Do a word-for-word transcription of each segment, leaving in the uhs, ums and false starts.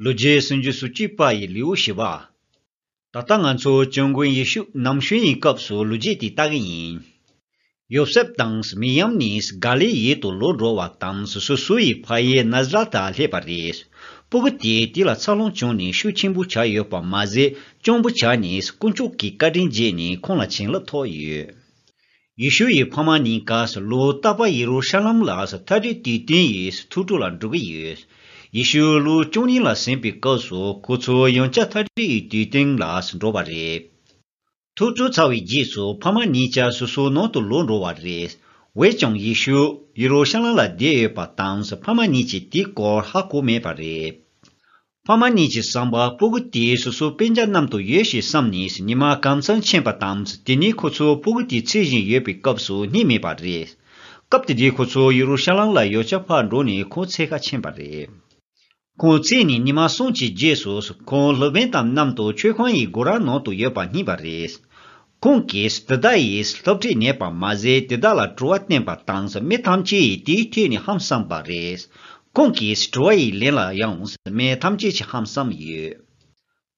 ལོ་རྒྱུས་སུམ་ཅུ་སོ་གཅིག་པ་ཡི་ལེའུ་བཞི་པ། ད་ལྟ་ང་ཚོ་སྐྱབས་མགོན་ཡེ་ཤུ་ནམ་ཤོས་ཡི་སྐབས་སུ་ལོ་རྒྱུས་དེ་ལྟ་གི་ཡིན། ཡོ་སེབ་དང་མིར་ཡམ་ནི་ག་ལིལ་ཡུལ་དུ་ལོག་འགྲོ་བ་དང་སོ་སོའི་ཕ་ཡུལ་ནཱ་ཛ་རད་དུ་སླེབས་པ་རེད། སྤུ་གུ་དེ་དེ་ལ་འཚར་ལོངས་བྱུང་ནས་ཤུགས་ཆེན་པོ་ཆགས་ཡོད་པ་མ་ཟད་སྐྱོ་པོ་ཆགས་ནས་དཀོན་མཆོག་གི་བཀའ་དྲིན་རྗེས་ནས་ཁོང་ལ་བྱིན་རླབས་ཐོབ་ཡོད། ཡེ་ཤུ་ཡི་ཕ་མ་གཉིས་ཀ་ལོ་རྟག་པར་ཡེ་རུ་ཤ་ལམ་ལ་ཐག་རིས་དུས་སྟོན་ཡི་ཐུགས་སྤྲོ་ལ་འགྲོ་གི་ཡོད། ཡེ་ཤུ་ལོ་བཅུ་གཉིས་ལ་ཟིན་པའི་སྐབས་སུ་ཁོ་ཚོ་ཡང་བསྐྱར་ཐག་རིས་ཡི་དུས་སྟོན་ལ་འགྲོ་བ་རེད། ཐུགས་སྤྲོ་ཚར་བའི་རྗེས་སུ་ཕ་མ་གཉིས་ཀ་སོ་སོའི་ནང་དུ་ལོག་འགྲོ་བ་རེད། འོན་ཀྱང་ཡེ་ཤུ་ཡེ་རུ་ཤ་ལམ་ལ་བསྡད་ཡོད་པ་དང་ཕ་མ་གཉིས་ཀྱིས་དེའི་སྐོར་ཧ་གོ་མེད་པ་རེད། ཕ་མ་གཉིས་ཀྱི་བསམ་པར་སྤུ་གུ་དེ་སོ་སོའི་སྤུན་ཀྱག་མཉམ་དུ་ཡོད་ཞེས་བསམ་ནས་ཉི་མ་གང་ཙམ་ཕྱིན་པ་དང་དེ་ནས་ཁོ་ཚོ་སྤུ་གུ་དེ་འཚོལ་བཞིན་ཡོད་པའི་སྐབས་སུ་རྙེད་མེད་པ་རེད། སྐབས་དེ་དུས་ཁོ་ཚོ་ཡེ་རུ་ཤ་ལམ་ལ་ཡང་བསྐྱར་ཕར་འགྲོ་ནས་ཁོང་འཚོལ་གར་ཕྱིན་པ་རེད། ཁོང་འཚོལ་ནས་ཉི་མ་གསུམ་གྱི་རྗེས་སུ་ཁོང་སློབ་དཔོན་དང་མཉམ་དུ་མཆོད་ཁང་ཡི་སྒོ་ར་ནང་དུ་ཡོད་པ་རྙེད་པ་རེད། ཁོང་གིས་དེ་དག་ཡི་སློབ་ཁྲིད་གནང་བ་མ་ཟད་དེ་དག་ལ་དྲི་བ་བསྟན་པ་དང་མི་ཐམས་ཅད་ཡིས་དེའི་ཐད་ནས་ཧང་སངས་པ་རེད། ཁོང་གི་དྲི་བ་ཡི་ལན་ལ་ཡང་མི་ཐམས་ཅད་ཀྱིས་ཧང་སངས་ཡོད།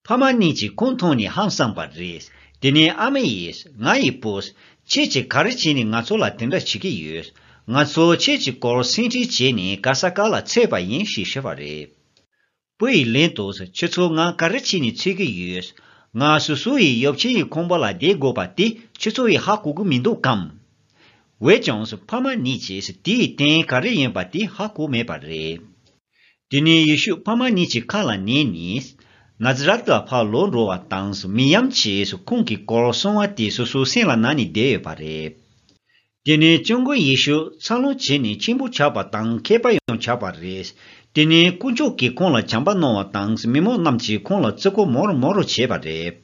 ཕ་མ་གཉིས་ཀྱིས་ཁོང་མཐོང་ནས་ཧང་སངས་པ་རེད། དེ་ནས་ཨ་མ་ཡིས་ང་ཡི་བུ། ཁྱེད་ཀྱིས་ག་རེ་བྱས་ནས་ང་ཚོ་ལ་དེ་འདྲ་བྱེད་ཀྱི་ཡོད། ང་ཚོ་ཁྱེད་ཀྱི་སྐོར་སེམས་ཁྲལ་བྱས་ནས་ག་ས་ག་ལ་འཚོལ་བ་ཡིན་ཞེས་ཞུས་པ་རེད། བུ་ཡིས་ལན་དུ་ཁྱེད་ཚོ་ང་ག་རེ་བྱས་ནས་འཚོལ་གྱི་ཡོད། ང་སོ་སོ་ཡི་ཡབ་ཆེན་ཡི་ཁང་པ་ལ་བསྡད་དགོས་པ་དེ་ཁྱེད་ཚོ་ཡིས་ཧ་གོ་གི་མི་འདུག་གམ། འོན་ཀྱང་ཕ་མ་གཉིས་ཀྱིས་དེའི་དོན་ག་རེ་ཡིན་པ་དེ་ཧ་གོ་མེད་པ་རེད། དེ་ནས་ཡེ་ཤུ་ཕ་མ་གཉིས་ཀྱི་ཁ་ལ་ཉན་ནས། ནཱ་ཛ་རད་ལ་ཕར་ལོག་འགྲོ་བ་དང་མིར་ཡམ་གྱིས་ཁོང་གི་སྐོར་གསུང་བ་དེ་སོ་སོའི་སེམས་ལ་ན་ནས་བསྡད་ཡོད་པ་རེད། དེ་ནས་སྐྱབས་མགོན་ཡེ་ཤུ་འཚར་ལོངས་བྱས་ནས་ཆེན་པོ་ཆགས་པ་དང་མཁས་པ་ཡང་ཆགས་པ་རེད། དེ་ནས་དཀོན་མཆོག་གིས་ཁོང་ལ་བྱམས་པ་གནང་བ་དང་མི་མང་རྣམས་ཀྱིས་ཁོང་ལ་བརྩི་བཀུར་མང་རུ་མང་རུ་བྱས་པ་རེད།